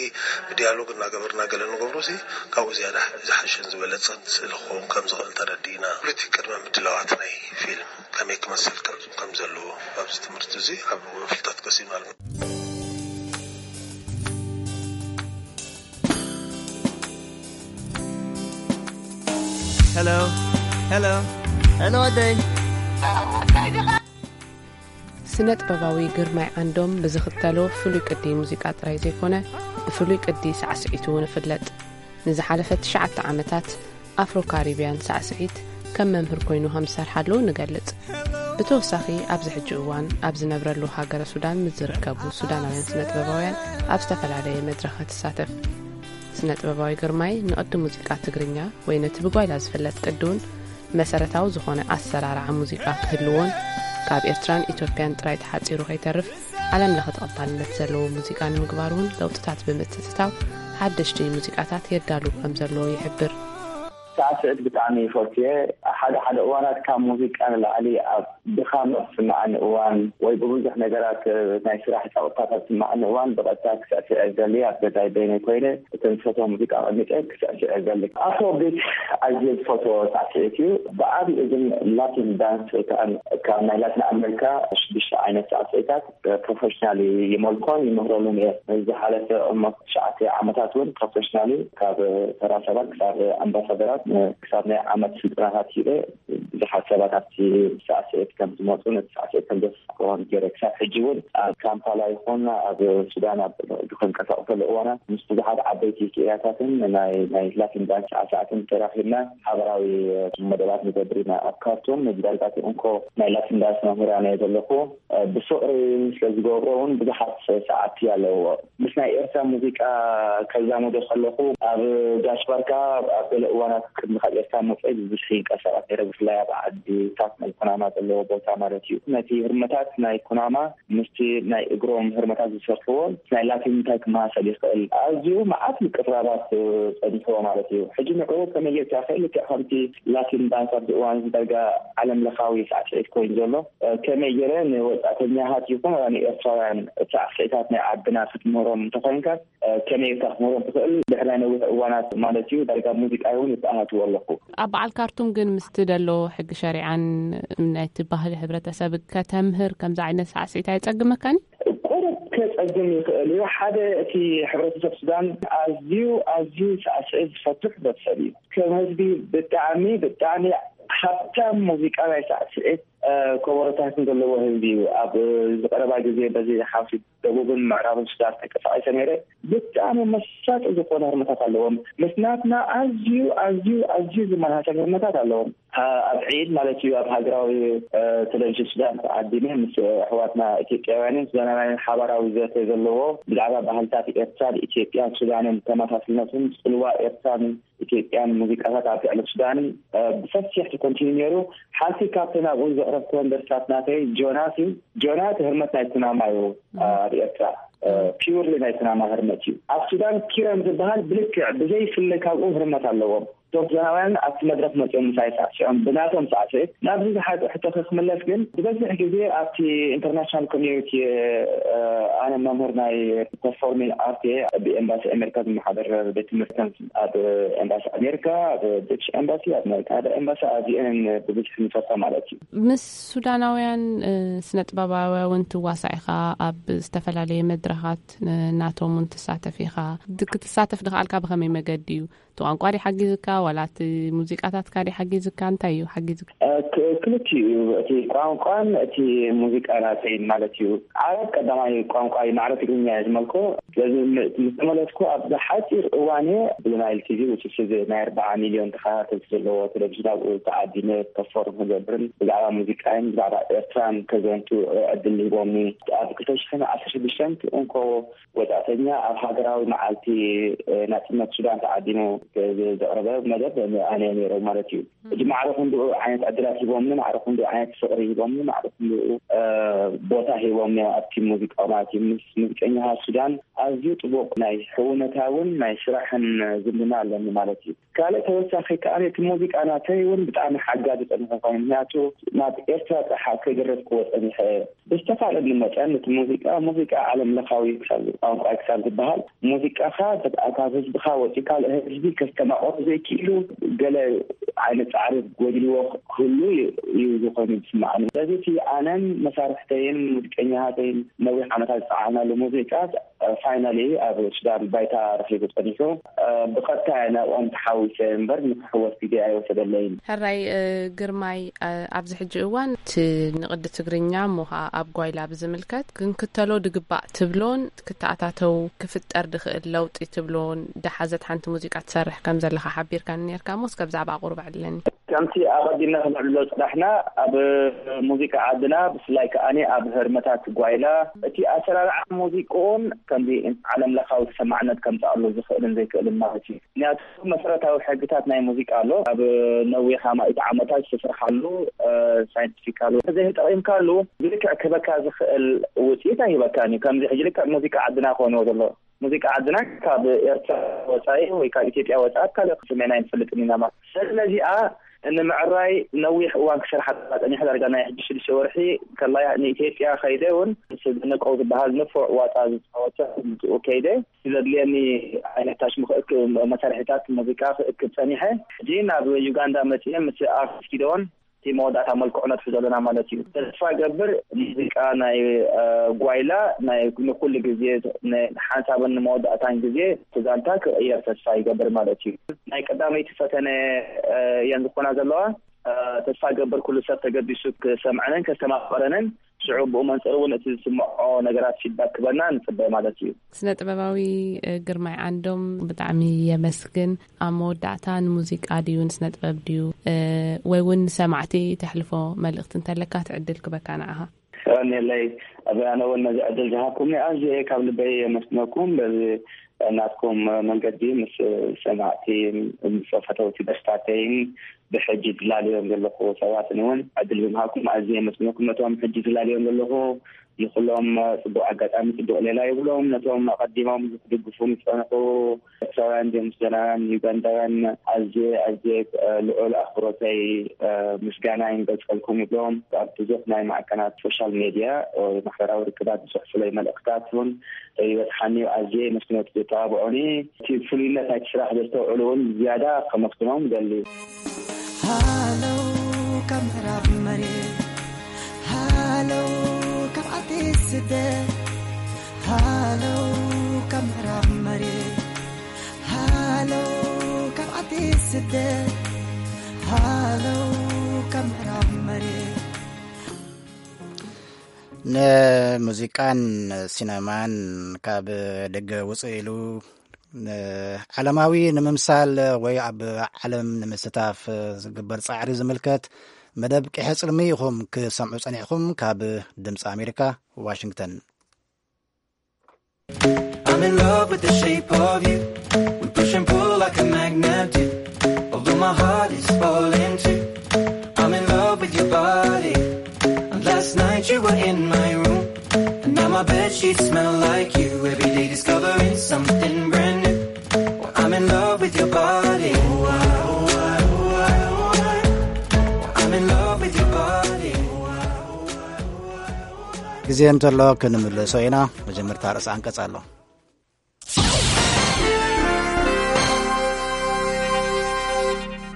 ብዲያሎግ እናገበርና ገለ ንገብሮ ሲ፣ ካብኡ ዝያዳ ዝሓሸን ዝበለጸን ስእሊ ክኸውን ከም ዝኽእል ተረዲእና። ፖለቲክ ቅድመ ምድላዋት ናይ ፊልም ከመይ ክመስል ከም፣ ከም ዘለዎ ኣብዚ ትምህርቲ እዚ ኣብ ፍልጠት ቀሲምና ኣለና። Hello. Hello. Hello, ኣደይ። ስነ ጥበባዊ ግርማይ ዓንዶም ብዝኽተሎ ፍሉይ ቅዲ ሙዚቃ ጥራይ ዘይኮነ፣ ብፍሉይ ቅዲ ሳዕስዒቱ እውን ይፍለጥ። ንዝሓለፈ ትሽዓተ ዓመታት ኣፍሮ ካሪብያን ሳዕስዒት ከም መምህር ኮይኑ ከም ዝሰርሓሉ ንገልጽ። ብተወሳኺ ኣብዚ ሕጂ እዋን ኣብ ዝነብረሉ ሃገረ ሱዳን ምስ ዝርከቡ ሱዳናውያን ስነ ጥበባውያን ኣብ ዝተፈላለየ መድረኻት ይሳተፍ። ስነ ጥበባዊ ግርማይ ንቕዲ ሙዚቃ ትግርኛ ወይ ነቲ ብጓይላ ዝፍለጥ ቅዲ እውን መሰረታዊ ዝኾነ ኣሰራርዓ ሙዚቃ ክህልዎን ካብ ኤርትራን ኢትዮጵያን ጥራይ ተሓጺሩ ከይተርፍ ዓለም ለኸ ተቐባልነት ዘለዎ ሙዚቃ ንምግባር እውን ለውጥታት ብምትእትታው ሓደሽቲ ሙዚቃታት የዳሉ ከም ዘለዎ ይሕብር። ሳዕስዒት ብጣዕሚ ይፈትየ። ሓደ ሓደ እዋናት ካብ ሙዚቃ ንላዕሊ ኣብ ድኻም ዝስምዓኒ እዋን ወይ ብብዙሕ ነገራት ናይ ስራሕ ጸቕጥታት ኣብ ዝስምዓኒ እዋን ብቐጥታ ክስዕስዕ እደሊ። ኣብ ገዛይ በይነይ ኮይነ እተን ዝፈትዋ ሙዚቃ ኣቐሚጠ ክስዕስዕ እደሊ። ኣፍሮ ቢት ኣዝየ ዝፈትዎ ሳዕስዒት እዩ። ብዓብይኡ ግን ላቲን ዳንስ ወይ ከዓ ካብ ናይ ላቲን ኣሜሪካ ሽዱሽተ ዓይነት ሳዕስዒታት ፕሮፌሽናል ይመልኮን ይምህረሉን እየ። ዝሓለፈ ኦልሞስት ትሽዓተ ዓመታት እውን ፕሮፌሽናሊ ካብ ተራ ሰባት ክሳብ ኣምባሳደራት ክሳብ ናይ ዓመት ስልጠናታት ሂበ ብዙሓት ሰባት ኣብቲ ሳዕስዒት ከም ዝመፁ፣ ነቲ ሳዕስዒት ከም ዘሳቅዎን ገይረ። ክሳብ ሕጂ እውን ኣብ ካምፓላ ይኹን ኣብ ሱዳን ኣብ ክንቀሳቀሰሉ እዋናት ምስ ብዙሓት ዓበይቲ ክኢላታትን ናይ ናይ ላቲን ዳንስ ሳዕሳዕትን ተራኺብና ሓበራዊ መደባት ንገብር ኢና። ኣብ ካርቱም ንዳርጋ እንኮ ናይ ላቲን ዳንስ መምህራን እየ ዘለኹ። ብፍቕሪ ስለ ዝገብሮ እውን ብዙሓት ሰዓብቲ ኣለዎ። ምስ ናይ ኤርትራ ሙዚቃ ከዛምዶ ከለኹ፣ ኣብ ጋሽ ባርካ ኣብ ገለ እዋናት ቅድሚ ካብ ኤርትራ ምውፀይ ብብዝሒ ይንቀሳቐስ ነይረ። ብፍላይ ኣብ ዓድታት ናይ ኩናማ ዘለዎ ቦታ ማለት እዩ። ነቲ ህርመታት ናይ ኩናማ ምስቲ ናይ እግሮም ህርመታት ዝሰርሕዎ ናይ ላቲን እንታይ ክመሳሰል ይኽእል? ኣዝዩ መዓት ምቅርራባት ጸኒሕዎ ማለት እዩ። ሕጂ ንዕኡ ከመይ ጌርካ፣ ልክዕ ከምቲ ላቲን ዳንስ ኣብዚ እዋን እዚ ዳርጋ ዓለም ለኻዊ ሳዕስዒት ኮይኑ ዘሎ፣ ከመይ ገይረ ንወጻእተኛታት ይኹን ንኤርትራውያን ሳዕስዒታት ናይ ዓድና ክትምህሮም እንተኾይንካ፣ ከመይ ኢልካ ክትምህሮም ትኽእል? ድሕሪ ናይ ነዊሕ እዋናት ማለት እዩ፣ ዳርጋ ሙዚቃ እውን ይተኣታትዎ ኣለኹ። ኣብ በዓል ካርቱም ግን ምስቲ ደሎ ሕጊ ሸሪዓን ናይቲ ባህሊ ሕብረተሰብ ከተምህር ከምዚ ዓይነት ሳዕስዒት ኣየጸግመካን? ቁሩብ ከጸግም ይኽእል እዩ። ሓደ፣ እቲ ሕብረተሰብ ሱዳን ኣዝዩ፣ ኣዝዩ ሳዕስዒት ዝፈቱ ሕብረተሰብ እዩ። ከም ህዝቢ ብጣዕሚ፣ ብጣዕሚ ሃብታም ሙዚቃ ናይ ሳዕስዒት፣ እ፣ ከበሮታትን ዘለዎ ህዝቢ እዩ። ኣብ ዝቐረባ ግዜ በዚ ሓውሲ ደቡብን ምዕራብን ሱዳን ተንቀሳቒሰ ነይረ። ብጣዕሚ መሳጢ ዝኾነ ህርመታት ኣለዎም። ምስ ናትና ኣዝዩ፣ ኣዝዩ፣ ኣዝዩ ዝመሳሰል ህርመታት ኣለዎም። አ-፣ ኣብ ዒድ ማለት እዩ፣ ኣብ ሃገራዊ፣ እ፣ ቴሌቪዥን ሱዳን ተዓዲመ ምስ ኣሕዋትና ኢትዮጵያውያንን ሱዳናውያንን ሓባራዊ ዘተ ዘለዎ ብዛዕባ ባህልታት ኤርትራን ኢትዮጵያን ሱዳንን ተመሳስልነቱን ጽልዋ ኤርትራን ኢትዮጵያን ሙዚቃታት ኣብ ልዕሊ ሱዳንን፣ እ፣ ብሰፊሕ ተተንቲኑ ነይሩ። ሓንቲ ካብተን ኣብኡ ዘቕረብክወን ደርፍታት ናተይ ጆናስ እዩ። ጆናስ ህርመት ናይ ኩናማ እዩ፣ እ፣ ኣብ ኤርትራ፣ እ፣ ፒውርሊ ናይ ኩናማ ህርመት እዩ። ኣብ ሱዳን ኪረም ዝበሃል ብልክዕ ብዘይፍለ ካብኡ ህርመት ኣለዎም። እቶም ሱዳናውያን ኣብቲ መድረኽ መጺኦም ምሳይ ሳዕሲዖም፣ ብናቶም ሳዕስዒት። ናብዚ ዝሓዘ ሕቶኺ ክምለስ ግን፣ ዝበዝሕ ግዜ ኣብቲ ኢንተርናሽናል ኮሚዩኒቲ፣ እ፣ ኣነ መምህር ናይ ፐርፎርሚንግ ኣርት እየ። ብኤምባሲ ኣሜሪካ ዝመሓደር ቤት ትምህርትን ኣብ ኤምባሲ ኣሜሪካ፣ ኣብ ብሪቲሽ ኤምባሲ፣ ኣብ ናይ ካናዳ ኤምባሲ፣ ኣብዚአን ብብዝሒ ንፈሳ ማለት እዩ። ምስ ሱዳናውያን፣ እ፣ ስነ ጥበባውያን እውን ትዋሳእ ኢኻ። ኣብ ዝተፈላለየ መድረኻት፣ እ፣ ናቶም እውን ትሳተፍ ኢኻ። ድ-፣ ክትሳተፍ ድኸኣልካ ብኸመይ መገዲ እዩ? እቲ ቋንቋ ድዩ ሓጊዝካ? ዋላ እቲ ሙዚቃታትካ ድዩ ሓጊዝካ? እንታይ እዩ ሓጊዝካ? እ፣ ክ-፣ ክልቲኡ እዩ። እቲ ቋንቋን እቲ ሙዚቃ ናተይን ማለት እዩ። ዓረብ ቀዳማይ ቋንቋ እዩ፣ ማዕረ ትግርኛ እየ ዝመልኮ። ስለዚ ም-፣ ምስ ተመለስኩ ኣብ ሓጺር እዋን እየ ብናይል ቲቪ፣ which is እዚ ናይ ኣርባዓ ሚልዮን ተኸታተልቲ ዘለዎ ቴሌቪዥን፣ ኣብኡ ተዓዲመ ፐርፎርም ክገብርን ብዛዕባ ሙዚቃይን ብዛዕባ ኤርትራን ከዘንቱ ዕድል ሂቦምኒ። ኣብ ክልተ ሽሕን ዓሰርተ ሽዱሽተን እንኮ ወጻእተኛ ኣብ ሃገራዊ መዓልቲ፣ እ፣ ናጽነት ሱዳን ተዓዲሙ ዝ-፣ ዘቕረበ መደብ ኣነ ነይረ ማለት እዩ። ሕጂ ማዕረ ክንድኡ ዓይነት ዕድላት ሂቦምኒ፣ ማዕረ ክንድኡ ዓይነት ፍቕሪ ሂቦምኒ፣ ማዕረ ክንድኡ፣ እ፣ ቦታ ሂቦምኒ ኣብቲ ሙዚቃ ማለት እዩ። ምስ ሙዚቀኛታት ሱዳን ኣዝዩ ጥቡቕ ናይ ሕውነታውን ናይ ስራሕን ዝምድና ኣለኒ ማለት እዩ። ካልእ ተወሳኺ ከኣ እቲ ሙዚቃ ናተይ እውን ብጣዕሚ ሓጋዚ ጸኒሑ ኮይኑ፣ ምክንያቱ ናብ ኤርትራ ጥራሕ ከይደረፍክዎ ጸኒሐ። ብዝተኻእለኒ መጠን እቲ ሙዚቃ፣ ሙዚቃ ዓለም ለኻዊ ክሳብ፣ ቋንቋ ክሳብ ዝበሃል፣ ሙዚቃኻ ካብ ህዝብኻ ወፂኡ ካልእ ህዝቢ ከስተማቕሮ ዘይክእሉ ገለ ዓይነት ፃዕሪ ጎዲልዎ ክህሉ እዩ፣ እዩ ዝኾነ ዝስምዓኒ። ስለዚ እቲ ኣነን መሳርሕተይን ሙዚቀኛታተይን ነዊሕ ዓመታት ዝፀዓርናሉ ሙዚቃ ፋይናሊ ኣብ ሱዳን ባይታ ረኺቡ ጸኒሑ፣ እ፣ ብቐጥታ እየ ናብኦም ተሓዊሰ እምበር ንክሕወስ ግዜ ኣይወሰደለይን። ሕራይ፣ እ፣ ግርማይ፣ እ፣ ኣብዚ ሕጂ እዋን እቲ ንቕዲ ትግርኛ እሞ ኸኣ ኣብ ጓይላ ብዝምልከት ክንክተሎ ድግባእ ትብሎን ክትኣታተው ክፍጠር ድኽእል ለውጢ ትብሎን ደሓዘት ሓንቲ ሙዚቃ ትሰርሕ ከም ዘለኻ ሓቢርካኒ ነርካ እሞ እስከ ብዛዕባ ቁሩብ ኣዕልለኒ። ከምቲ ኣቐዲምና ክንዕልሎ ዝጸናሕና፣ ኣብ ሙዚቃ ዓድና፣ ብፍላይ ከኣኒ ኣብ ህርመታት ጓይላ፣ እቲ ኣሰራርዓ ሙዚቅኡን ከምዚ ዓለም ለኻዊ ተሰማዕነት ከምጽኣሉ ዝኽእልን ዘይክእልን ማለት እዩ። ምክንያቱ መሰረታዊ ሕግታት ናይ ሙዚቃ ኣሎ። ኣብ ነዊሕ ኣማኢት ዓመታት ዝተሰርሓሉ፣ እ፣ ሳይንቲፊካሉ እንተዘይተጠቒምካሉ፣ ብልክዕ ክህበካ ዝኽእል ውጽኢት ኣይህበካን እዩ። ከምዚ ሕጂ ልክዕ ሙዚቃ ዓድና ክኾንዎ ዘሎ። ሙዚቃ ዓድና ካብ ኤርትራ ወጻኢ ወይ ካብ ኢትዮጵያ ወጻኢ ኣብ ካልእ ክስሜና ኣይንፈልጥን ኢና ማለት። ስለዚ ነዚኣ ንምዕራይ ነዊሕ እዋን ክሰርሓ ጸኒሐ፣ ዳርጋ ናይ ሕጂ ሽዱሽተ ወርሒ ከላይ ንኢትዮጵያ ከይደ እውን ምስ ደነቀው ዝበሃል ንፉዕ ዋጣ ዝጻወተ ብኡ ከይደ ዘድልየኒ ዓይነት ታሽሙ ክእክብ መሳርሒታት ሙዚቃ ክእክብ ጸኒሐ። ሕጂ ናብ ዩጋንዳ መጺኤ ምስ ኣርቲስት ጊደዎን እቲ መወዳእታ መልክዑ ነጥፊ ዘለና ማለት እዩ። ተስፋ ገብር ሙዚቃ ናይ፣ እ፣ ጓይላ ናይ ንኩሉ ግዜ፣ ን-፣ ንሓንሳብን ንመወዳእታን ግዜ እቲ ዛንታ ክቕየር ተስፋ ይገብር ማለት እዩ። ናይ ቀዳመይቲ ፈተነ፣ እ፣ እየን ዝኾና ዘለዋ። ተስፋ ገብር ኩሉ ሰብ ተገቢሱ ክሰምዐንን ከስተማቕረንን፣ ሽዑ ብኡ መንፅር እውን እቲ ዝስምዖ ነገራት ፊድባክ ክበና ንፅበ ማለት እዩ። ስነ ጥበባዊ ግርማይ ዓንዶም፣ ብጣዕሚ የመስግን። ኣብ መወዳእታ ንሙዚቃ ድዩ ንስነ ጥበብ ድዩ ወይ እውን ንሰማዕቲ ተሕልፎ መልእኽቲ እንተለካ ትዕድል ክበካ ንዓኻ። ዮሃንኤለይ፣ ኣነ እውን ነዚ ዕድል ዝሃብኩምኒ ኣዝየ ካብ ልበይ የመስግነኩም። በዚ ናትኩም መንገዲ ምስ ሰማዕቲ፣ ምስ ፈተውቲ ደርፍታተይን ብሕጂ ዝላለዮም ዘለኹ ሰባትን እውን ዕድል ብምሃብኩም ኣዝየ የመስግነኩም። ነቶም ሕጂ ዝላለዮም ዘለኹ ንኩሎም ጽቡቕ ኣጋጣሚ፣ ጽቡቕ ሌላ ይብሎም። ነቶም ኣቐዲሞም ዝድግፉ ዝጸንሑ ኤርትራውያን ዲዮም ሱዳናውያን ዩጋንዳውያን ኣዝየ ኣዝየ ልዑል ኣኽብሮተይ ምስጋና ይንገልጸልኩም ይብሎም። ኣብ ብዙሕ ናይ ማዕከናት ሶሻል ሜድያ ማሕበራዊ ርክባት ዝጽሕፉለይ መልእኽታት እውን ይበጽሓኒ እዩ። ኣዝየ መስግኖት ዘተባብዑኒ፣ እቲ ፍሉይነት ናይቲ ስራሕ ዘስተውዕሉ እውን ዝያዳ ከመስግኖም እደሊ። ሃሎ ካብ ምዕራብ መሬት፣ ሃሎ ካብ ዓዲ ስደት፣ ሃሎ ካብ ምዕራብ መሬት፣ ሃሎ ካብ ዓዲ ስደት፣ ሃሎ ካብ ምዕራብ መሬት። ንሙዚቃን ሲነማን ካብ ደገ ውፅእ ኢሉ ዓለማዊ ንምምሳል ወይ ኣብ ዓለም ንምስታፍ ዝግበር ጻዕሪ ዝምልከት መደብ ቂሐ ጽልሚ ኢኹም ክሰምዑ ጸኒሕኩም። ካብ ድምፂ ኣሜሪካ ዋሽንግተን። I'm in love with the shape of you. We push and pull like a magnet do. Although my heart is falling too. I'm in love with your body. And last night you were in my room. And now my bed sheets smell like you. Every day discovering something brand new. I'm in love with your body. I'm in love with your body. ግዜ እንተሎ ክንምልሶ ኢና። መጀመርታ ርእሲ ኣንቀጽ ኣሎ።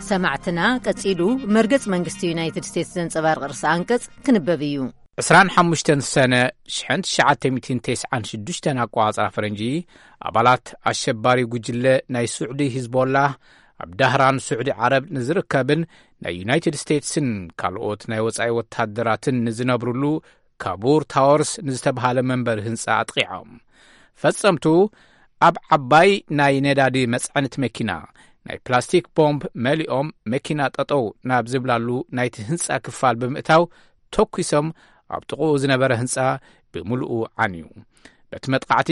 ሰማዕትና፣ ቀጺሉ መርገጽ መንግስቲ ዩናይትድ ስቴትስ ዘንጸባርቕ ርእሲ ኣንቀጽ ክንበብ እዩ። ዕስራን ሓሙሽተን ሰነ ሽሕን ትሽዓተ ሚእትን ተስዓን ሽዱሽተን ኣቋጻጽራ ፈረንጂ፣ ኣባላት ኣሸባሪ ጉጅለ ናይ ስዑዲ ሂዝቦላ ኣብ ዳህራን ስዑዲ ዓረብ ንዝርከብን ናይ ዩናይትድ ስቴትስን ካልኦት ናይ ወጻኢ ወታደራትን ንዝነብሩሉ ካቡር ታወርስ ንዝተብሃለ መንበሪ ህንጻ ኣጥቂዖም። ፈጸምቱ ኣብ ዓባይ ናይ ነዳዲ መጽዐኒት መኪና ናይ ፕላስቲክ ቦምብ መሊኦም፣ መኪና ጠጠው ናብ ዝብላሉ ናይቲ ህንጻ ክፋል ብምእታው ተኲሶም፣ ኣብ ጥቕኡ ዝነበረ ህንጻ ብምሉኡ ዓንዩ። በቲ መጥቃዕቲ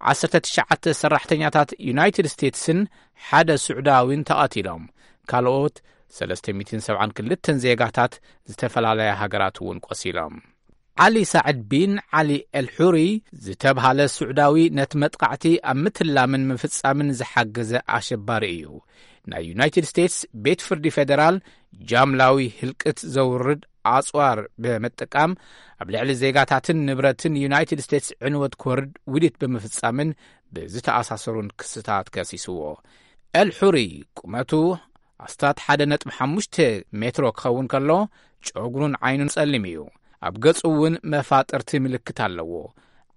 ዓሰርተ ትሽዓተ ሰራሕተኛታት ዩናይትድ ስቴትስን ሓደ ስዑዳዊን ተቐቲሎም፣ ካልኦት ሰለስተ ሚእትን ሰብዓን ክልተን ዜጋታት ዝተፈላለያ ሃገራት እውን ቆሲሎም። ዓሊ ሳዕድ ቢን ዓሊ ኤልሑሪ ዝተብሃለ ስዑዳዊ ነቲ መጥቃዕቲ ኣብ ምትላምን ምፍጻምን ዝሓገዘ ኣሸባሪ እዩ። ናይ ዩናይትድ ስቴትስ ቤት ፍርዲ ፌደራል ጃምላዊ ህልቅት ዘውርድ ኣጽዋር ብምጥቃም ኣብ ልዕሊ ዜጋታትን ንብረትን ዩናይትድ ስቴትስ ዕንወት ክወርድ ውዲት ብምፍጻምን ብዝተኣሳሰሩን ክስታት ከሲስዎ። ኤልሑሪ ቁመቱ ኣስታት ሓደ ነጥቢ ሓሙሽተ ሜትሮ ክኸውን ከሎ፣ ጨጉሩን ዓይኑን ጸሊም እዩ። ኣብ ገጹ እውን መፋጥርቲ ምልክት ኣለዎ።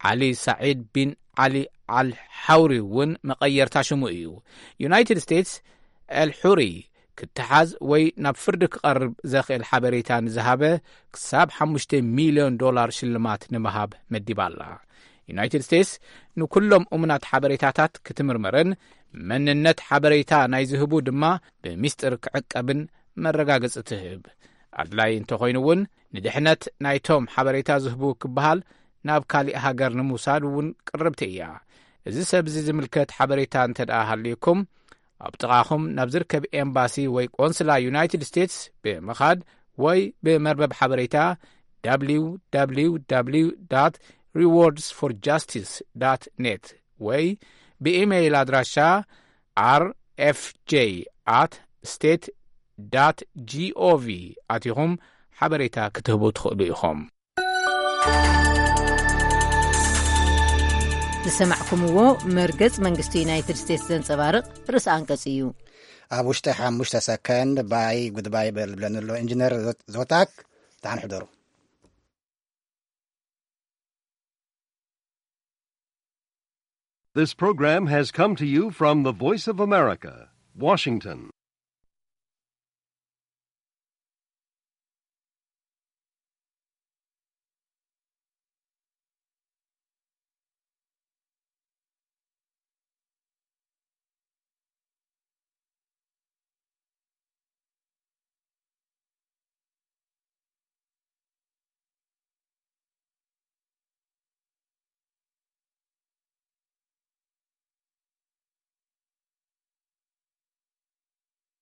ዓሊ ሳዒድ ቢን ዓሊ ኣል ሓውሪ እውን መቐየርታ ሽሙ እዩ። ዩናይትድ ስቴትስ ኤልሑሪ ክተሓዝ ወይ ናብ ፍርዲ ክቐርብ ዘኽእል ሓበሬታ ንዝሃበ ክሳብ ሓሙሽተ ሚልዮን ዶላር ሽልማት ንምሃብ መዲባ ኣላ። ዩናይትድ ስቴትስ ንኩሎም እሙናት ሓበሬታታት ክትምርምርን መንነት ሓበሬታ ናይ ዝህቡ ድማ ብሚስጥር ክዕቀብን መረጋገጺ ትህብ። ኣድላይ እንተኾይኑ እውን ንድሕነት ናይቶም ሓበሬታ ዝህቡ ክበሃል ናብ ካሊእ ሃገር ንምውሳድ እውን ቅርብቲ እያ። እዚ ሰብ እዚ ዝምልከት ሓበሬታ እንተ ደኣ ሃልዩኩም፣ ኣብ ጥቓኹም ናብ ዝርከብ ኤምባሲ ወይ ቆንስላ ዩናይትድ ስቴትስ ብምኻድ ወይ ብመርበብ ሓበሬታ www rewards for justice net ወይ ብኢሜይል ኣድራሻ rfj at state gov ኣቲኹም ሓበሬታ ክትህቡ ትኽእሉ ኢኹም። ዝሰማዕኩምዎ መርገጽ መንግስቲ ዩናይትድ ስቴትስ ዘንጸባርቕ ርእሲ ኣንቀጽ እዩ። ኣብ ውሽጢ ሓሙሽተ ሰከንድ ባይ ጉድባይ በል ብለኒ ኣሎ ኢንጂነር ዞታክ። ደሓን ሕደሩ። This program has come to you from the Voice of America, Washington.